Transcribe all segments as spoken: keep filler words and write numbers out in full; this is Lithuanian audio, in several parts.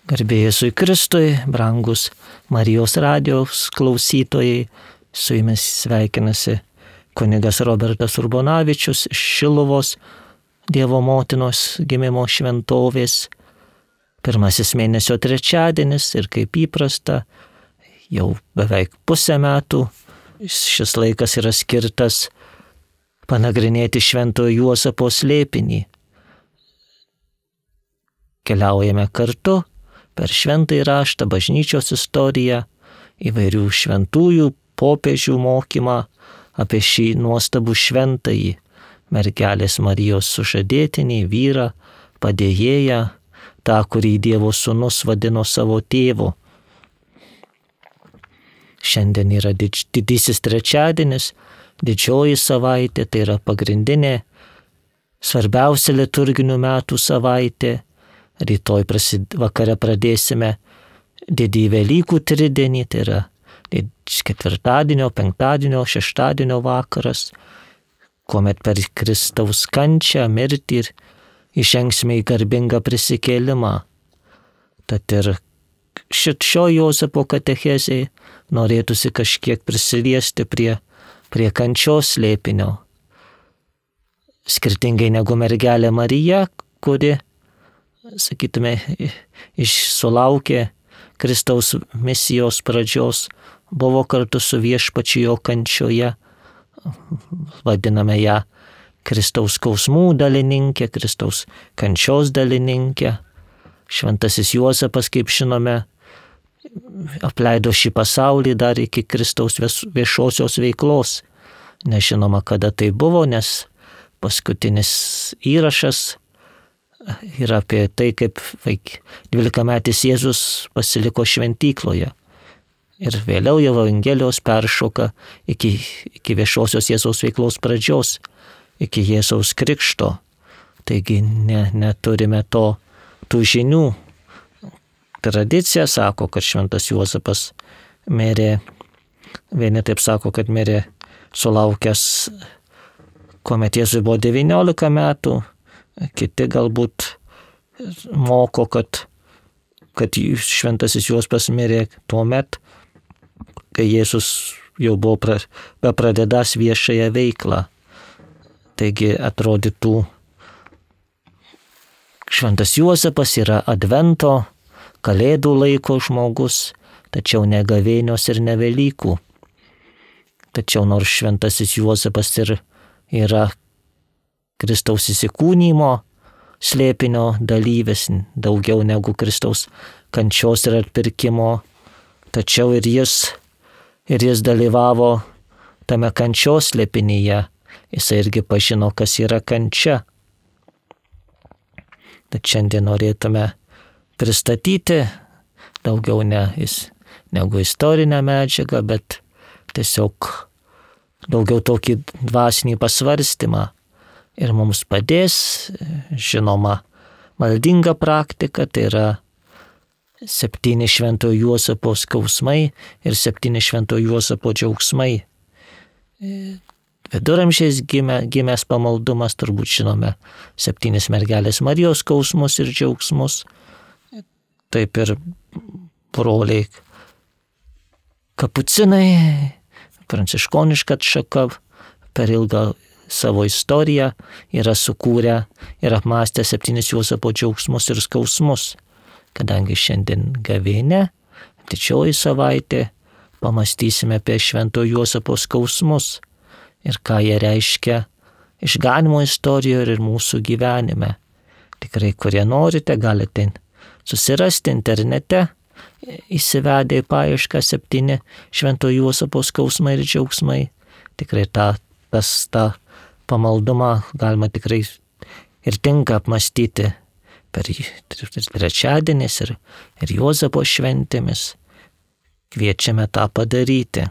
Garbė Jėzui Kristui, brangus Marijos radijos klausytojai, su jumis sveikinasi kunigas Robertas Urbonavičius iš Šiluvos Dievo motinos gimimo šventovės. Pirmasis mėnesio trečiadienis ir kaip įprasta, jau beveik pusę metų šis laikas yra skirtas panagrinėti Šventojo Juozapo slėpinį. Keliaujame kartu per šventąjį raštą, bažnyčios istoriją, įvairių šventųjų popiežių mokymą apie šį nuostabų šventąjį, mergelės Marijos sužadėtinį, vyrą, padėjėją, tą, kurį Dievo sūnus vadino savo tėvu. Šiandien yra didž, didysis trečiadienis, didžioji savaitė, tai yra pagrindinė, svarbiausia liturginių metų savaitė. Rytoj prasid, vakare pradėsime didįjį Velykų tridienį, tai yra ketvirtadienio, penktadienio, šeštadienio vakaras, kuomet per Kristaus kančią, mirtį ir įžengsime į garbingą prisikėlimą. Tad ir šit šio Juozapo katechezei norėtųsi kažkiek prisiliesti prie, prie kančios slėpinio. Skirtingai negu mergelė Marija, kuri, sakytume, sulaukė Kristaus misijos pradžios, buvo kartu su viešpačiu jo kančioje, vadiname ją Kristaus skausmų dalininkė, Kristaus kančios dalininkė. Šventasis Juozapas, kaip žinome, apleido šį pasaulį dar iki Kristaus viešosios veiklos. Nežinoma, kada tai buvo, nes paskutinis įrašas yra apie tai, kaip dvylikametis Jėzus pasiliko šventykloje. Ir vėliau jau Evangelijos peršoka iki, iki viešosios Jėzaus veiklos pradžios, iki Jėzaus krikšto. Taigi ne, neturime to, tų žinių. Tradicija sako, kad šventas Juozapas mirė, vieni taip sako, kad mirė sulaukęs, kuomet Jėzui buvo devyniolika metų, kiti galbūt moko, kad, kad šventasis Juozapas mirė tuo met, kai Jėzus jau buvo pra, bepradedąs viešąją veiklą. Taigi atrodytų, šventas Juozapas yra advento, kalėdų laiko žmogus, tačiau ne gavėnios ir ne Velykų. Tačiau nors šventasis Juozapas ir yra Kristaus įsikūnymo slėpinio dalyvis, daugiau negu Kristaus kančios ir atpirkimo, tačiau ir jis, ir jis dalyvavo tame kančios slėpinyje, jis irgi pažino, kas yra kančia. Tad šiandien norėtume pristatyti daugiau ne, negu istorinę medžiagą, bet tiesiog daugiau tokį dvasinį pasvarstymą. Ir mums padės, žinoma, maldinga praktika, tai yra septyni Šventojo Juozapo skausmai ir septyni Šventojo Juozapo džiaugsmai. Viduramžiais gimė, gimęs pamaldumas, turbūt žinome, septynis mergelės Marijos skausmus ir džiaugsmus. Taip ir broliai kapucinai, pranciškoniška atšaka per ilgą savo istoriją yra sukūrę ir apmąstę septynis Juozapo džiaugsmus ir skausmus. Kadangi šiandien gavėnia, didžioji savaitė, pamąstysime apie Šventojo Juozapo skausmus ir ką jie reiškia išganymo istorijoje ir mūsų gyvenime. Tikrai, kurie norite, galite susirasti internete, įsivedę į paiešką septyni Šventojo Juozapo skausmai ir džiaugsmai. Tikrai tą, tas, tą pamaldumą galima tikrai ir tinka apmąstyti per trečiadienis ir, ir Juozapo šventėmis. Kviečiame tą padaryti.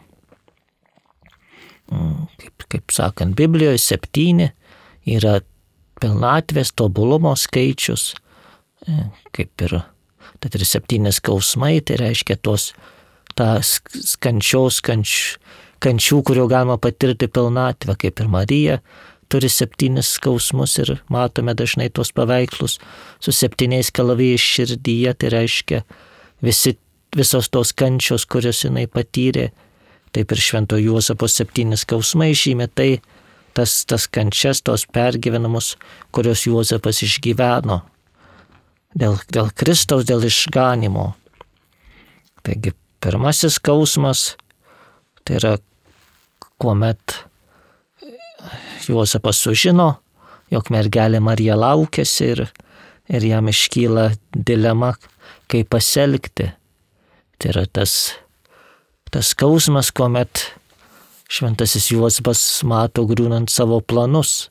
Kaip, kaip sakant, Biblijoje septyni yra pilnatvės tobulumo skaičius, kaip ir, tad ir septyni skausmai, tai reiškia tos, tas kančios, kanč, kančių, kurio galima patirti pilnatvę, kaip ir Marija, turi septynis skausmus ir matome dažnai tuos paveikslus su septyniais kalavijais širdyje, tai reiškia visi, visos tos kančios, kurios jinai patyrė, taip ir Švento Juozapo septyni skausmai žymė tai, tas, tas kančias, tos pergyvenamus, kurios Juozapas išgyveno dėl, dėl Kristaus, dėl išganimo. Taigi pirmasis skausmas tai yra, kuomet Juozapas sužino, jog mergelė Marija laukiasi ir, ir jam iškyla dilema, kaip pasielgti. Tai yra tas, tas skausmas, kuomet šventasis Juozapas mato griūnant savo planus.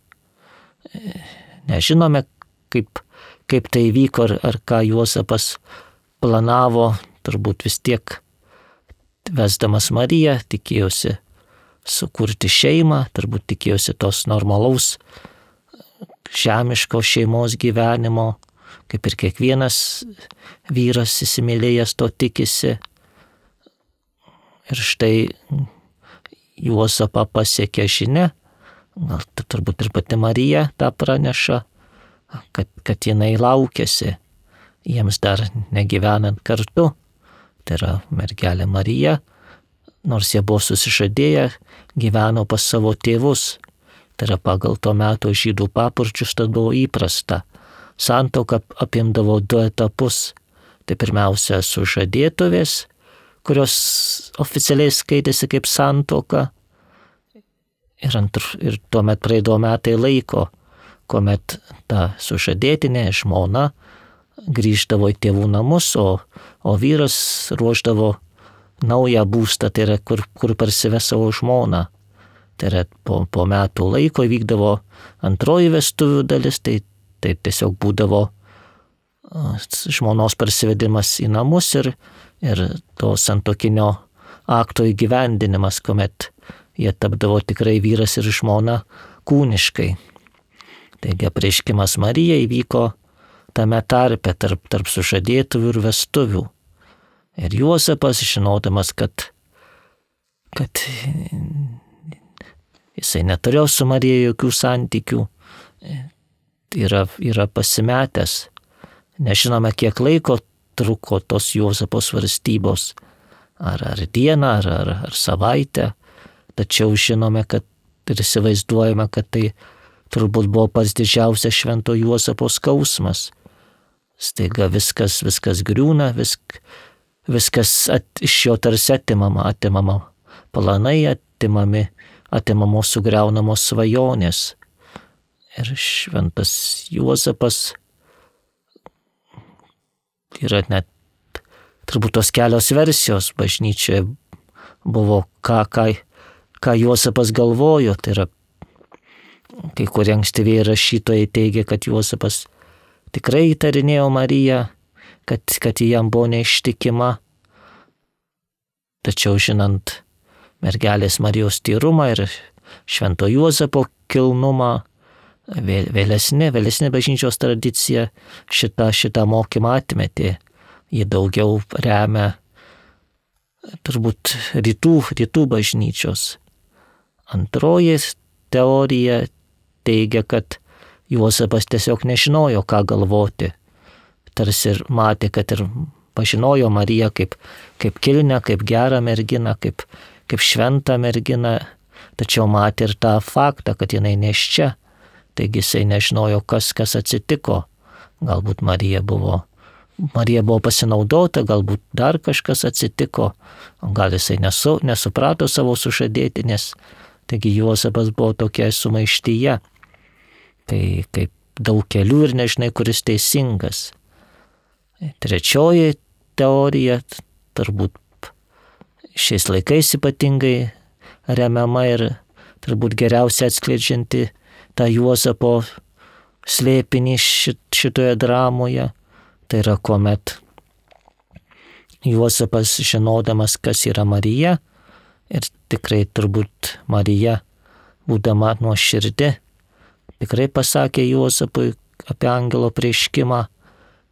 Nežinome, kaip, kaip tai vyko, ar, ar ką Juozapas planavo, turbūt vis tiek vesdamas Mariją, tikėjosi sukurti šeimą, turbūt tikėjosi tos normalaus žemiško šeimos gyvenimo, kaip ir kiekvienas vyras įsimylėjęs to tikisi. Ir štai Juozapą pasiekia žinia, gal turbūt ir pati Marija tą praneša, kad, kad jinai laukiasi, jiems dar negyvenant kartu. Tai yra mergelė Marija, nors jie buvo susižadėję, gyveno pas savo tėvus. Tai yra pagal to meto žydų papročius, tad buvo įprasta. Santuoka apimdavo du etapus. Tai pirmiausia sužadėtuvės, kurios oficialiai skaitėsi kaip santuoka. Ir, antr, ir tuomet praeidavo metai laiko, kuomet ta sužadėtinė žmona grįždavo į tėvų namus, o, o vyras ruošdavo naują būstą, tai yra kur, kur parsives savo žmoną. Tai yra po, po metų laiko vykdavo antroji vestuvių dalis, tai, tai tiesiog būdavo žmonos parsivedimas į namus ir, ir to santuokinio akto įgyvendinimas, kuomet jie tapdavo tikrai vyras ir žmona kūniškai. Taigi apreiškimas Marijai įvyko tame tarpe tarp, tarp sužadėtuvių ir vestuvių. Ir Juozapas, žinodamas, kad, kad jisai neturėjo su Marija jokių santykių, yra, yra pasimetęs. Nežinome, kiek laiko truko tos Juozapo svarstybos, ar, ar dieną, ar, ar, ar savaitę, tačiau žinome, kad ir įsivaizduojame, kad tai turbūt buvo pats didžiausias Švento Juozapo skausmas. Staiga viskas, viskas griūna, visk, viskas at, iš jo tarsi atimama, atimama planai, atimami, atimamos sugriaunamos svajonės. Ir šventas Juozapas yra net turbūt tos kelios versijos bažnyčioje buvo, ką, ką, ką Juozapas galvojo. Tai yra, kai kurie ankstyvieji rašytojai teigia, kad Juozapas tikrai įtarinėjo Mariją, kad, kad jam buvo neištikima. Tačiau žinant mergelės Marijos tyrumą ir švento Juozapo kilnumą, vėlesnė, vėlesnė bažnyčios tradicija šitą, šitą mokymą atmetė. Jie daugiau remia turbūt rytų, rytų bažnyčios. Antroji teorija teigia, kad Juozapas tiesiog nežinojo, ką galvoti. Tarsi ir matė, kad ir pažinojo Mariją kaip, kaip kilnę, kaip gerą merginą, kaip, kaip šventą merginą, tačiau matė ir tą faktą, kad jinai nėščia. Taigi jisai nežinojo, kas, kas atsitiko. Galbūt Marija buvo, Marija buvo pasinaudota, galbūt dar kažkas atsitiko, gal jisai nesu, nesuprato savo sužadėtinės. Taigi Juozapas buvo tokia sumaištyje, kai kaip daug kelių ir nežinai, kuris teisingas. Trečioji teorija, turbūt šiais laikais ypatingai remiama ir turbūt geriausiai atskleidžianti tą Juozapo slėpinį šitoje dramoje. Tai yra, kuomet Juozapas, žinodamas, kas yra Marija, ir tikrai turbūt Marija, būdama nuoširdi, tikrai pasakė Juozapui apie angelo apreiškimą,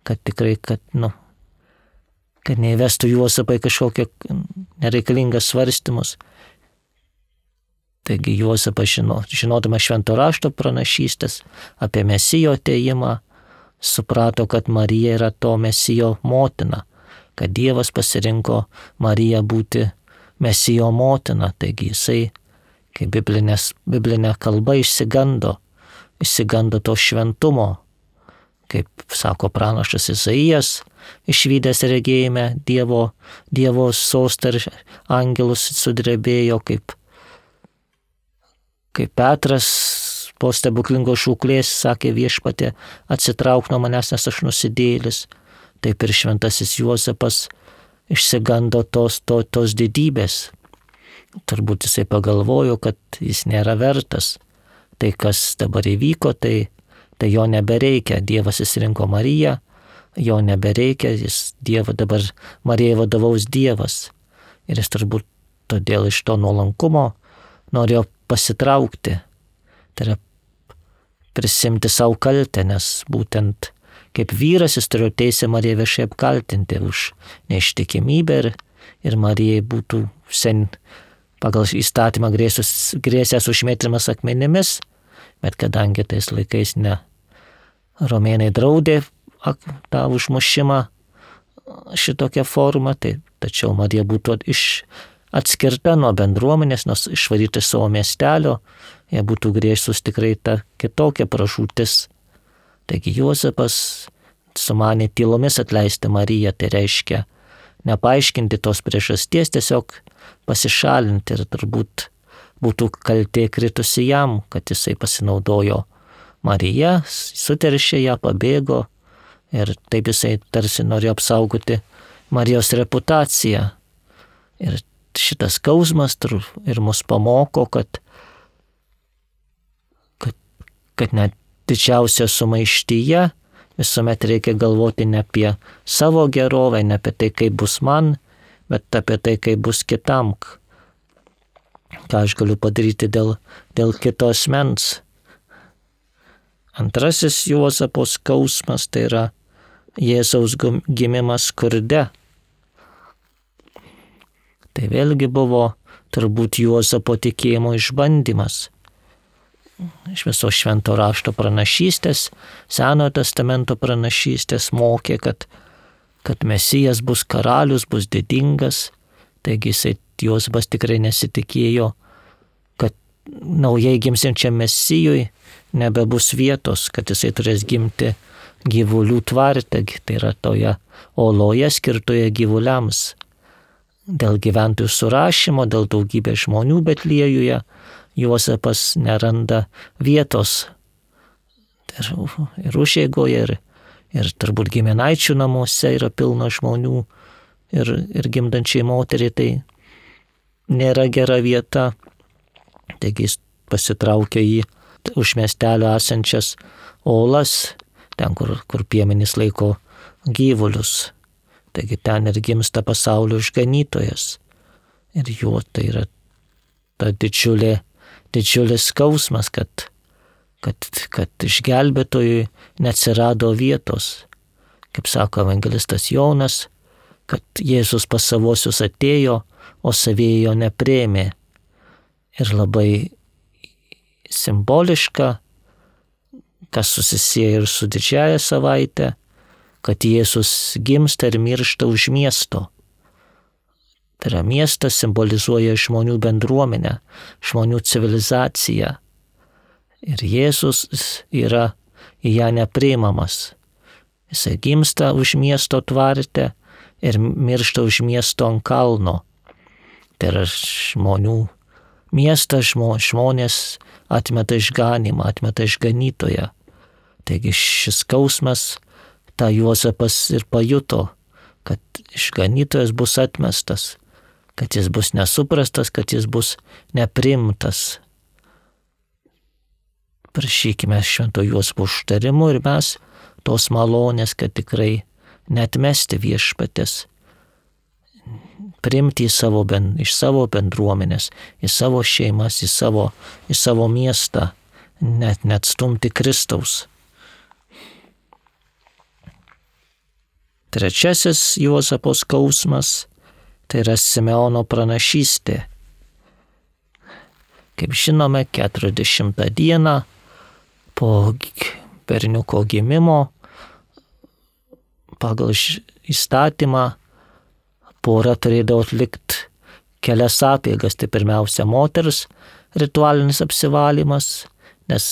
kad tikrai, kad, nu, kad neįvestų Juozapą į kažkokią nereikalingas svarstymus. Taigi Juozapas žino, žinodamas švento rašto pranašystės apie Mesijo atėjimą, suprato, kad Marija yra to Mesijo motina, kad Dievas pasirinko Mariją būti Mesijo motina. Taigi jisai, kaip biblinės, biblinė kalba, išsigando, išsigando to šventumo. Kaip sako pranašas Izaijas, išvydęs regėjime Dievo, Dievo sostą ir angelus sudrebėjo, kaip, kaip Petras po stebuklingos šūklės sakė Viešpatie, atsitrauk nuo manęs, nes aš nusidėjėlis. Taip ir šventasis Juozapas išsigando tos, to, tos didybės. Turbūt jisai pagalvojo, kad jis nėra vertas. Tai, kas dabar įvyko, tai, tai jo nebereikia. Dievas įsirinko Mariją, jo nebereikia, jis Dievo dabar Marijai vadovaus Dievas. Ir jis turbūt todėl iš to nuolankumo norėjo pasitraukti. Tai yra prisimti savo kaltę, nes būtent kaip vyras jis turėjo teisę Mariją viešai apkaltinti už neištikimybę ir, ir Marijai būtų sen pagal įstatymą grėsus, grėsęs užmėtymas akmenimis, bet kadangi tais laikais ne romėnai draudė tą užmušimą šitokią formą, tai tačiau Marija būtų iš atskirta nuo bendruomenės, nors išvaryti savo miestelio, jie būtų grėsus tikrai ta kitokia pražūtis. Taigi Juozapas sumanė tylomis atleisti Mariją, tai reiškia nepaaiškinti tos priežasties, tiesiog pasišalinti ir turbūt būtų kaltė kritusi jam, kad jisai pasinaudojo Mariją, suteršė ją, pabėgo ir taip jisai tarsi norėjo apsaugoti Marijos reputaciją. Ir šitas skausmas ir mus pamoko, kad, kad, kad net didžiausia sumaištyje visuomet reikia galvoti ne apie savo gerovę, ne apie tai, kaip bus man, bet apie tai, kaip bus kitam, ką aš galiu padaryti dėl, dėl kito asmens. Antrasis Juozapo skausmas tai yra Jėzaus gimimas skurde. Tai vėlgi buvo turbūt Juozapo tikėjimo išbandymas. Iš viso švento rašto pranašystės, Senojo testamento pranašystės mokė, kad, kad Mesijas bus karalius, bus didingas. Taigi jisai Juozapas tikrai nesitikėjo, kad naujai gimsiančiam Mesijui nebebus vietos, kad jisai turės gimti gyvulių tvarte, tai yra toje oloje skirtoje gyvuliams. Dėl gyventojų surašymo, dėl daugybės žmonių Betliejuje Juozapas neranda vietos ir, ir užeigoje, ir, ir turbūt giminaičių namuose yra pilna žmonių ir, ir gimdančiai moteriai tai nėra gera vieta. Taigi jis pasitraukė į už miestelio esančias olas, ten, kur, kur piemenys laiko gyvulius. Taigi ten ir gimsta pasaulio išganytojas. Ir jo tai yra ta didžiulė didžiulis skausmas, kad, kad, kad išgelbėtojui neatsirado vietos. Kaip sako evangelistas Jonas, kad Jėzus pas savosius atėjo, o savieji jo nepriėmė. Ir labai simboliška, kas susisieja ir su didžiąja savaite, kad Jėzus gimsta ir miršta už miesto. Tai yra miestas simbolizuoja žmonių bendruomenę, žmonių civilizaciją. Ir Jėzus yra į ją nepriimamas. Jisai gimsta už miesto tvarte ir miršta už miesto ant kalno. Tai yra žmonių miestas, žmonės atmeta išganimą, atmeta išganytoją. Taigi šis skausmas tą Juozapas ir pajuto, kad išganytojas bus atmestas, kad jis bus nesuprastas, kad jis bus neprimtas. Prašykime švento Juozapo užtarimo ir mes tos malonės, kad tikrai neatmesti Viešpaties, priimti į savo, iš savo bendruomenės, į savo šeimas, į savo, į savo miestą, net neatstumti Kristaus. Trečiasis Juozapo skausmas tai yra Simeono pranašystė. Kaip žinome, keturiasdešimtą dieną po berniuko gimimo pagal įstatymą pora turėdavo atlikti kelias apeigas. Tai pirmiausia moters ritualinis apsivalymas, nes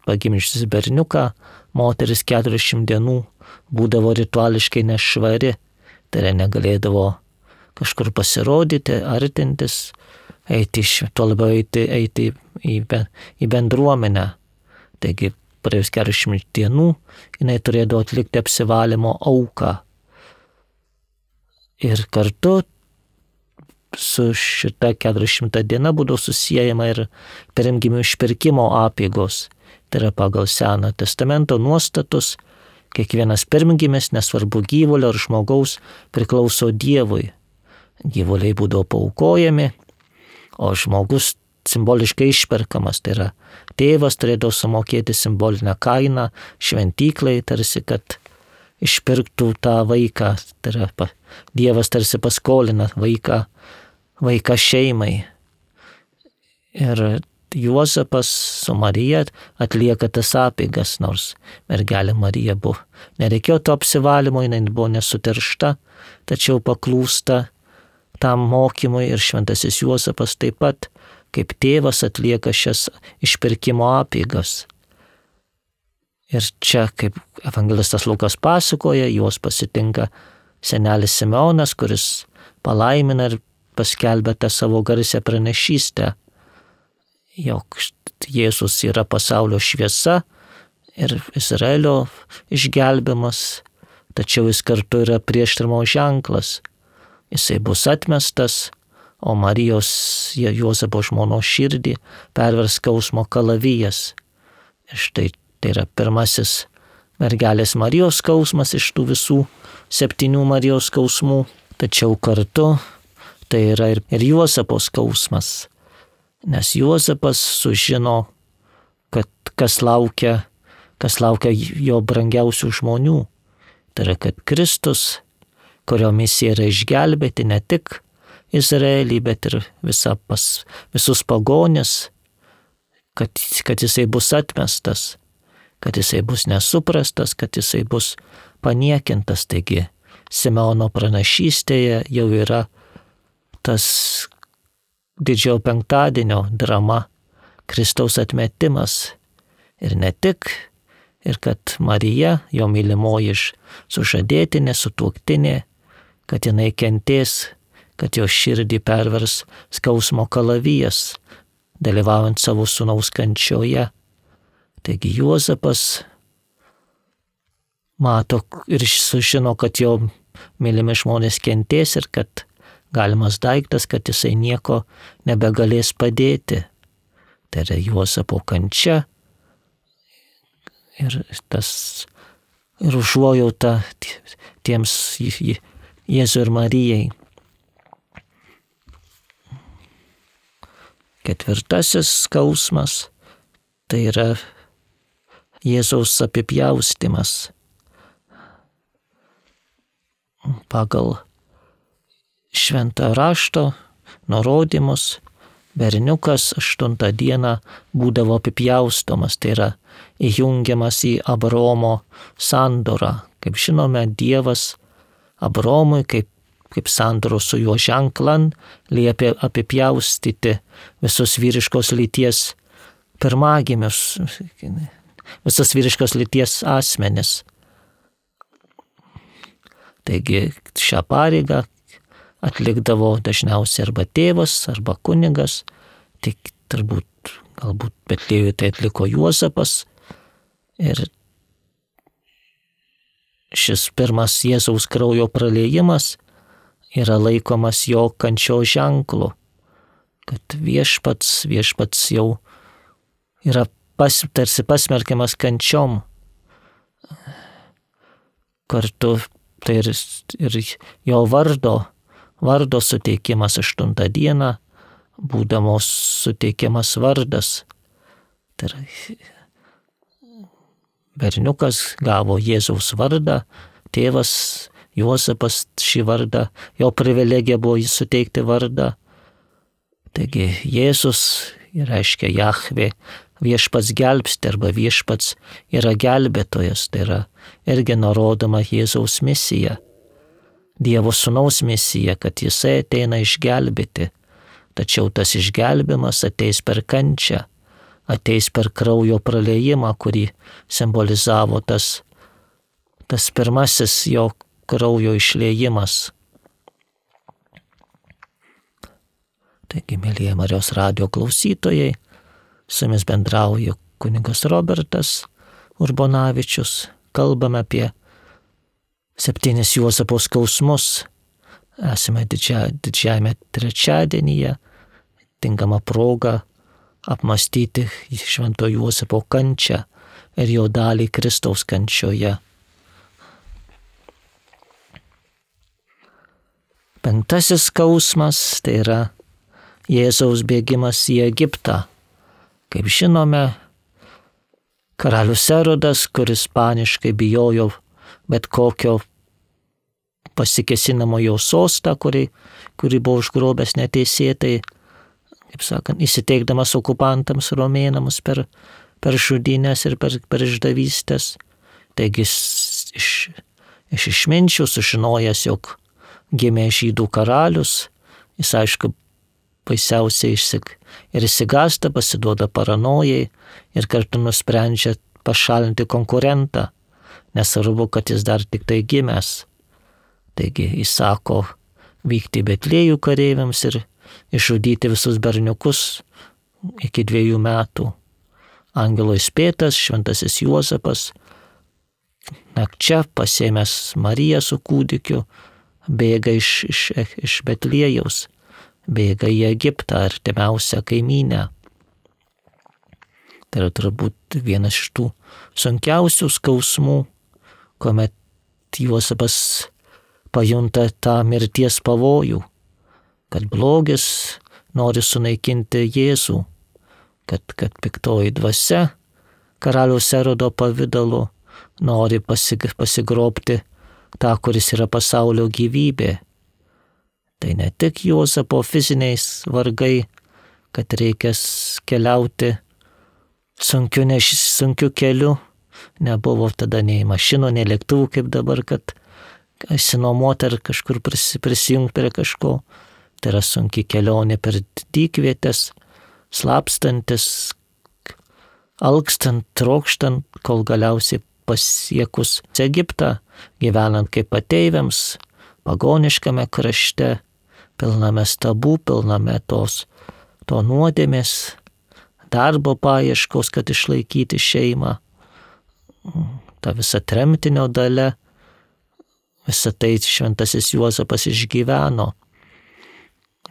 pagimdžiusi berniuką moteris keturiasdešimt dienų būdavo rituališkai nešvari, tai yra negalėdavo kažkur pasirodyti, artintis, eiti, tuo labiau eiti, eiti į, į bendruomenę. Taigi praėjus keturiasdešimt dienų jinai turėdavo atlikti apsivalymo auką. Ir kartu su šita keturiasdešimta diena būdavo susijęjama ir pirmgimių išpirkimo apeigos. Tai yra pagal Senojo testamento nuostatus, kiekvienas pirmgimis, nesvarbu gyvulio ar žmogaus, priklauso Dievui. Gyvuliai būdavo paaukojami, o žmogus simboliškai išperkamas. Tai yra tėvas turėdavo sumokėti simbolinę kainą šventyklai, tarsi kad išpirktų tą vaiką. Tai yra Dievas tarsi paskolina vaiką, vaiką šeimai. Ir Juozapas su Marija atlieka tas apeigas, nors mergelė Marija buvo. Nereikėjo to apsivalymo, jinai buvo nesuteršta, tačiau paklūsta tam mokymui ir šventasis Juozapas taip pat kaip tėvas atlieka šias išpirkimo apeigas. Ir čia, kaip evangelistas Lukas pasakoja, juos pasitinka senelis Simeonas, kuris palaimina ir paskelbia tą savo garsią pranešystę, jog Jėzus yra pasaulio šviesa ir Izraelio išgelbimas, tačiau jis kartu yra prieštarimo ženklas. Jisai bus atmestas, o Marijos Juozapo žmonos širdį pervers skausmo kalavijas. Ir štai tai yra pirmasis mergelės Marijos skausmas iš tų visų septynių Marijos skausmų, tačiau kartu tai yra ir, ir Juozapo skausmas. Nes Juozapas sužino, kad kas laukia, kas laukia jo brangiausių žmonių. Tai yra, kad Kristus, kurio misija yra išgelbėti ne tik Izraelį, bet ir visa pas, visus pagonis, kad, kad jisai bus atmestas, kad jisai bus nesuprastas, kad jisai bus paniekintas. Taigi Simeono pranašystėje jau yra tas didžiojo penktadienio drama, Kristaus atmetimas. Ir ne tik, ir kad Marija, jo mylimoji sužadėtinė, sutuoktinė, kad jinai kentės, kad jo širdį pervers skausmo kalavijas, dalyvaujant savo sūnaus kančioje. Taigi Juozapas mato ir sužino, kad jo mylimi žmonės kentės ir kad galimas daiktas, kad jisai nieko nebegalės padėti. Tai yra Juozapo kančia ir tas ir užuojauta tiems Jėzui ir Marijai. Ketvirtasis skausmas tai yra Jėzaus apipjaustymas. Pagal šventą rašto nurodymus berniukas aštuntą dieną būdavo apipjaustomas, tai yra įjungiamas į Abraomo sandorą. Kaip žinome, Dievas Abraomui kaip, kaip sandoros su juo ženklan liepė apipjaustyti visus vyriškos lyties pirmagimius, visus vyriškos lyties asmenis. Taigi šią pareigą atlikdavo dažniausiai arba tėvas, arba kunigas, tik turbūt, galbūt Betliejuje tai atliko Juozapas. Ir šis pirmas Jėzaus kraujo praliejimas yra laikomas jo kančio ženklu, kad viešpats, viešpats jau yra pas, tarsi pasmerkiamas kančiom. Kartu tai ir, ir jo vardo, vardo suteikimas aštuntą dieną, būdamos suteikiamas vardas. Tai yra, berniukas gavo Jėzaus vardą, tėvas Juozapas šį vardą, jo privilegija buvo jį suteikti vardą. Taigi Jėzus reiškia Jahvė, viešpats gelbsti arba viešpats yra gelbėtojas, tai yra irgi nurodoma Jėzaus misija. Dievo sūnaus misija, kad jisai ateina išgelbėti, tačiau tas išgelbimas ateis per kančią, ateis per kraujo praliejimą, kurį simbolizavo tas, tas pirmasis jo kraujo išliejimas. Taigi, mėlyje Marijos radijo klausytojai, su jumis bendrauja kunigas Robertas Urbonavičius. Kalbame apie septynis Juozapo skausmus. Esame didžia, didžiajame trečiadienyje, tinkama proga apmąstyti Švento Juozapo kančią ir jo dalį Kristaus kančioje. Penktasis skausmas tai yra Jėzaus bėgimas į Egiptą. Kaip žinome, karalius Erodas, kuris paniškai bijojo bet kokio pasikesinamo jo sostą, kurį, kurį buvo užgrobęs neteisėtai, kaip sakant, įsiteikdamas okupantams romėnams per, per žudynės ir per, per išdavystės. Taigi iš, iš išminčių sužinojęs, jog gimė žydų karalius, jis aišku baisiausiai išsik ir išsigąsta, pasiduoda paranojai ir kartu nusprendžia pašalinti konkurentą, nesvarbu, kad jis dar tik tai gimęs. Taigi įsako vykti į Betliejų kareiviams ir išžudyti visus berniukus iki dviejų metų. Angelo įspėtas šventasis Juozapas nakčia pasėmęs Mariją su kūdikiu bėga iš, iš, iš Betliejaus, bėga į Egiptą, artimiausią kaimynę. Tai yra turbūt vienas iš tų sunkiausių skausmų, kuomet Juozapas pajunta tą mirties pavojų, kad blogis nori sunaikinti Jėzų, kad, kad piktoji dvasia karaliaus Erodo pavidalu nori pasig, pasigrobti tą, kuris yra pasaulio gyvybė. Tai ne tik Juozapo fiziniais vargai, kad reikės keliauti sunkiu, neš, sunkiu keliu, nebuvo tada nei mašinų, nei lėktuvų kaip dabar, kad išsinuomoti ar kažkur prisijungti prie kažko. Tai yra sunki kelionė per dykvietės, slapstantis, alkstant, trokštant, kol galiausiai pasiekus Egiptą, gyvenant kaip ateiviams, pagoniškame krašte, pilname stabų, pilname tos, to nuodėmės, darbo paieškos, kad išlaikyti šeimą, ta visa tremtinio dalia, visą tai šventasis Juozapas išgyveno.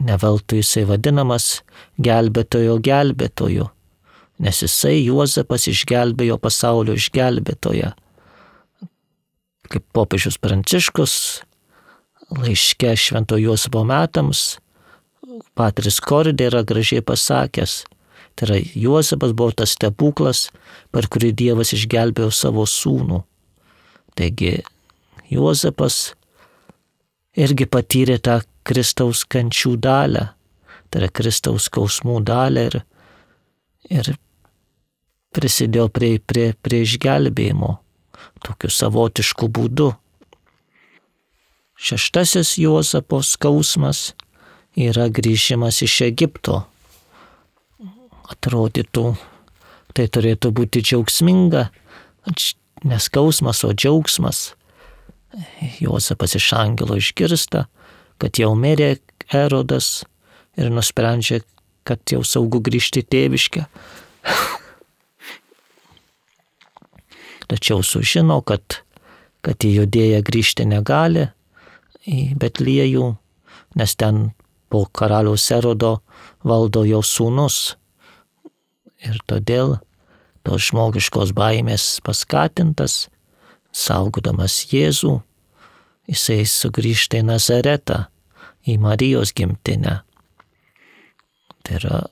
Neveltui jisai vadinamas gelbėtojo gelbėtoju, nes jisai Juozapas išgelbėjo pasaulio išgelbėtoją. Kaip popiežius Pranciškus laiške Švento Juozapo metams Patris Kordė yra gražiai pasakęs, tai yra Juozapas buvo tas stebuklas, per kurį Dievas išgelbėjo savo sūnų. Taigi Juozapas irgi patyrė tą Kristaus kančių dalę, tai yra Kristaus skausmų dalę ir, ir prisidėjo prie, prie, prie išgelbėjimo tokiu savotišku būdu. Šeštasis Juozapo skausmas yra grįžimas iš Egipto. Atrodytų, tai turėtų būti džiaugsminga, ne skausmas, o džiaugsmas. Juozapas iš angelo išgirsta, kad jau mirė Erodas ir nusprendžia, kad jau saugu grįžti tėviškę. Tačiau sužino, kad, kad į Judėją grįžti negali, į Betliejų, nes ten po karaliaus Erodo valdo jo sūnus. Ir todėl tos žmogiškos baimės paskatintas, saugodamas Jėzų, jisai sugrįžta į Nazaretą, į Marijos gimtinę. Tai yra,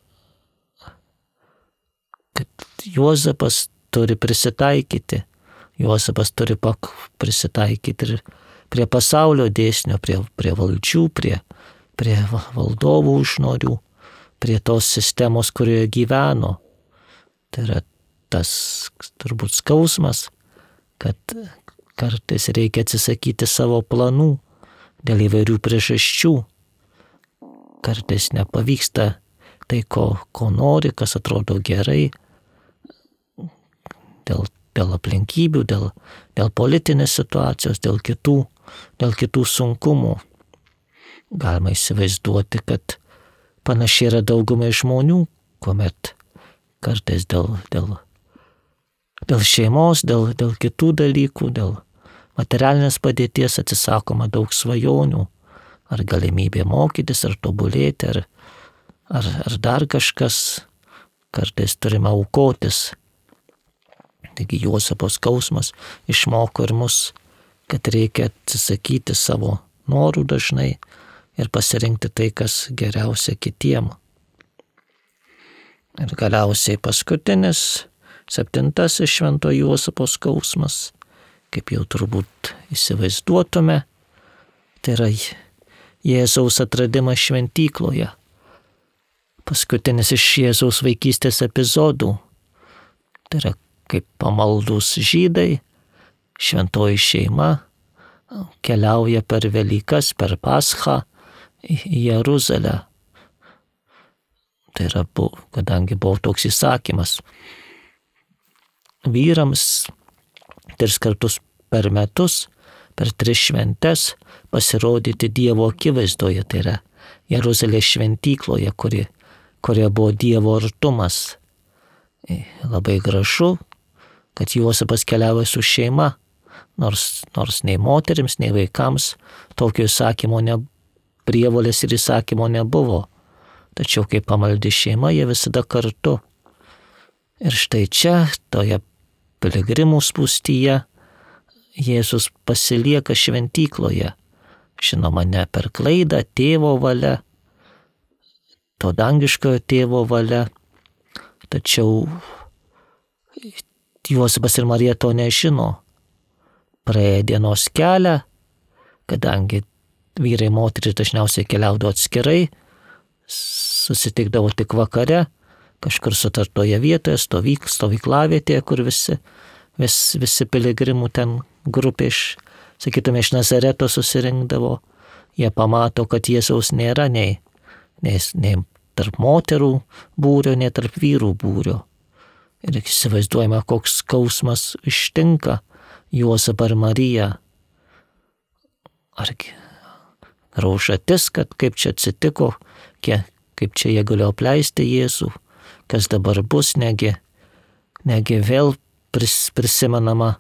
kad Juozapas turi prisitaikyti, Juozapas turi pak prisitaikyti ir prie pasaulio dėsnio, prie, prie valdžių, prie, prie valdovų užnorių, prie tos sistemos, kurioje gyveno. Tai yra tas turbūt skausmas, kad kartais reikia atsisakyti savo planų dėl įvairių priežasčių. Kartais nepavyksta tai, ko, ko nori, kas atrodo gerai, dėl, dėl aplinkybių, dėl, dėl politinės situacijos, dėl kitų, dėl kitų sunkumų. Galima įsivaizduoti, kad panašiai yra daugumai žmonių, kuomet kartais dėl, dėl, dėl šeimos, dėl, dėl kitų dalykų, dėl materialinės padėties atsisakoma daug svajonių, ar galimybė mokytis, ar tobulėti, ar, ar, ar dar kažkas, kartais turime aukotis. Taigi Juozapo skausmas išmoko ir mus, kad reikia atsisakyti savo norų dažnai ir pasirinkti tai, kas geriausia kitiem. Ir galiausiai paskutinis, septintasis Švento Juozapo skausmas, kaip jau turbūt įsivaizduotume, tai yra Jėzaus atradimas šventykloje. Paskutinis iš Jėzaus vaikystės epizodų. Tai yra kaip pamaldūs žydai, šventoji šeima keliauja per Velykas, per Paschą į Jeruzalę. Tai yra, kadangi buvo toks įsakymas vyrams tris kartus per metus, per tris šventes pasirodyti Dievo akivaizdoje, tai yra Jeruzalės šventykloje, kuri, kurioje buvo Dievo artumas. Labai gražu, kad Juozapas keliavo su šeima, nors, nors nei moterims, nei vaikams tokio įsakymo ne, prievolės ir įsakymo nebuvo. Tačiau kaip pamaldi šeima, jie visada kartu. Ir štai čia, toje piligrimų spūstyje, Jėzus pasilieka šventykloje. Žinoma, ne per klaidą, tėvo valia, to dangiškojo tėvo valia. Tačiau Juozapas ir Marija to nežino. Praėję dienos kelią, kadangi vyrai ir moterys dažniausiai keliaudavo atskirai, susitikdavo tik vakare, kažkur sutartoje vietoje, stovyk, stovyklavietėje, kur visi, vis, visi piligrimų ten grupė iš, sakytume, iš Nazareto susirinkdavo. Jie pamato, kad Jėzaus nėra nei, nei, nei tarp moterų būrio, nei tarp vyrų būrio. Ir įsivaizduojame, koks skausmas ištinka Juozapą ir Mariją. Argi graužatis, kad kaip čia atsitiko, kiek, kaip čia jie galėjo apleisti Jėzų, kas dabar bus, negi, negi vėl pris, prisimenama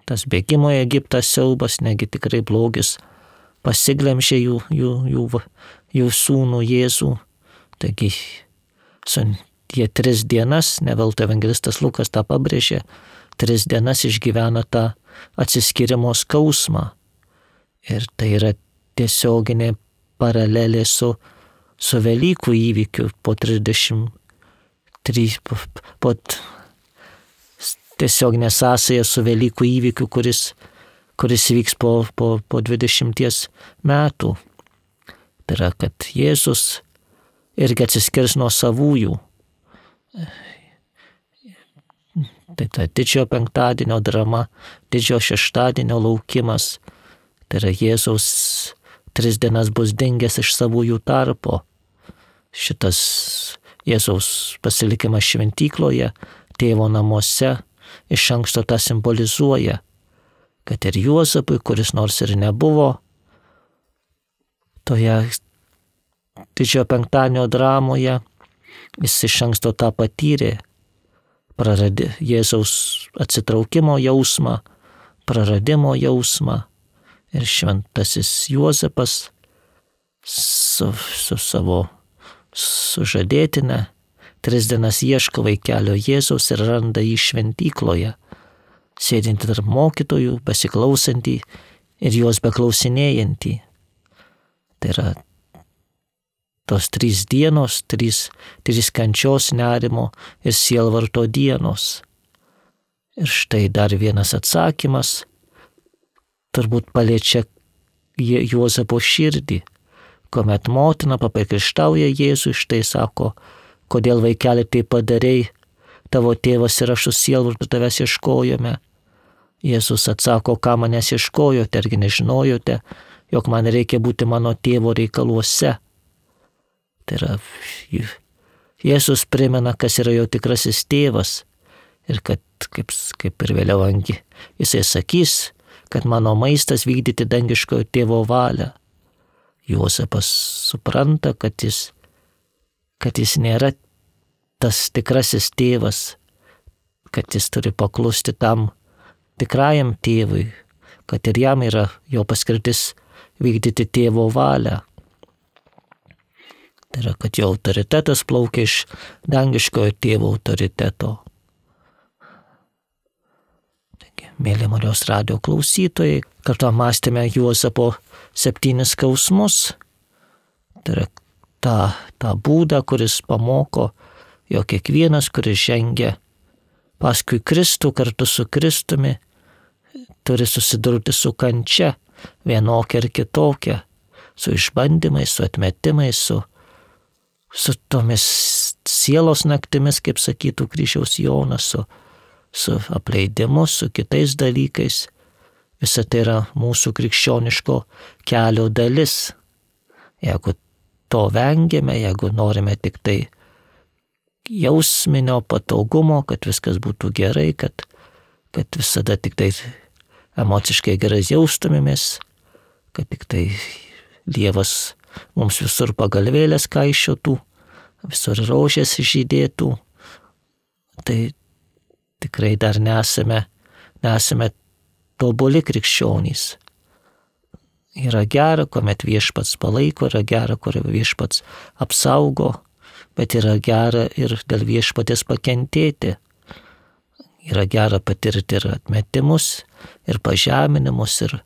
tas bėgimo į Egiptą siaubas, negi tikrai blogis pasiglemžė jų, jų, jų, jų sūnų Jėzų. Taigi, jie tris dienas, ne veltui evangelistas Lukas tą pabrėžė, tris dienas išgyvena tą atsiskyrimo skausmą. Ir tai yra tiesioginė paralelė su, su Velykų įvykiu po trisdešimt trys, po, po tiesioginė sąsaja su Velykų įvykiu, kuris, kuris vyks po, po, po dvidešimties metų. Tai yra, kad Jėzus irgi atsiskirs nuo savųjų. Tai ta didžiojo penktadienio drama, didžiojo šeštadienio laukimas. Tai yra Jėzaus tris dienas bus dingęs iš savųjų tarpo. Šitas Jėzaus pasilikimas šventykloje, tėvo namuose, iš anksto tą simbolizuoja, kad ir Juozapui, kuris nors ir nebuvo toje didžiojo penktadienio dramoje, jis iš anksto tą patyrė, praradė Jėzaus atsitraukimo jausmą, praradimo jausmą. Ir šventasis Juozapas su, su savo sužadėtine tris dienas ieško vaikelio Jėzaus ir randa jį šventykloje, sėdintį tarp mokytojų, besiklausantį ir juos beklausinėjantį. Tai yra tos trys dienos, trys, trys kančios, nerimo ir sielvarto dienos. Ir štai dar vienas atsakymas turbūt paliečia Juozapo širdį, kuomet motina papriekaištauja Jėzui, štai sako, kodėl vaikeli tai padarei, tavo tėvas ir aš su sielvartu tavęs ieškojome. Jėzus atsako, ką manęs ieškojote, argi nežinojote, jog man reikia būti mano tėvo reikaluose. Tai yra, Jėzus primena, kas yra jo tikrasis tėvas ir kad, kaip, kaip ir vėliau angi, jisai sakys, kad mano maistas vykdyti dangiškojo tėvo valią. Juozapas supranta, kad jis, kad jis nėra tas tikrasis tėvas, kad jis turi paklusti tam tikrajam tėvui, kad ir jam yra jo paskirtis vykdyti tėvo valią. Tai yra, kad jo autoritetas plaukia iš dangiškojo tėvo autoriteto. Taigi, mėly Marijos radijo klausytojai, kartu mąstėme Juozapo septynis skausmus. Tai yra tą, tą būdą, kuris pamoko, jog kiekvienas, kuris žengia paskui Kristų kartu su Kristumi, turi susidurti su kančia, vienokia ir kitokia, su išbandymais, su atmetimais, su, su tomis sielos naktimis, kaip sakytų Kryžiaus Jonas, su, su apleidimu, su kitais dalykais. Visa tai yra mūsų krikščioniško kelio dalis. Jeigu to vengiame, jeigu norime tik tai jausminio patogumo, kad viskas būtų gerai, kad, kad visada tik tai emociškai gerai jaustumėmės, kad tik tai Dievas mums visur pagalvėlės kaišiotų, visur rožės žydėtų, tai tikrai dar nesame, nesame tobuli krikščionys. Yra gera, kuomet viešpats palaiko, yra gera, kur viešpats apsaugo, bet yra gera ir dėl viešpatės pakentėti. Yra gera patirti ir atmetimus, ir pažeminimus, ir,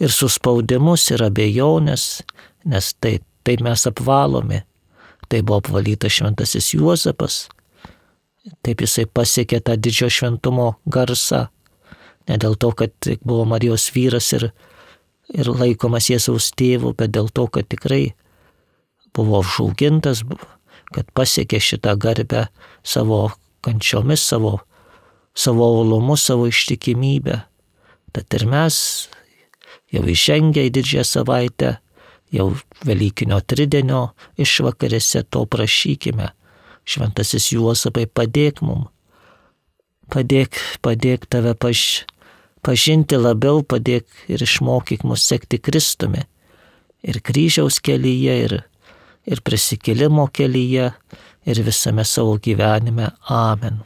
ir suspaudimus, ir abejonės, nes taip, taip mes apvalomi. Tai buvo apvalytas šventasis Juozapas. Taip jisai pasiekė tą didžio šventumo garsą. Ne dėl to, kad buvo Marijos vyras ir, ir laikomas Jėzaus tėvu, bet dėl to, kad tikrai buvo užaugintas, kad pasiekė šitą garbę savo kančiomis, savo, savo uolumu, savo ištikimybę. Tad ir mes jau įžengę į didžiąją savaitę, jau Velykinio tridienio išvakarėse to prašykime. Šventasis Juozapai, padėk mum, padėk, padėk tave paž, pažinti labiau, padėk ir išmokyk mus sekti Kristumi ir kryžiaus kelyje, ir ir prisikėlimo kelyje, ir visame savo gyvenime. Amen.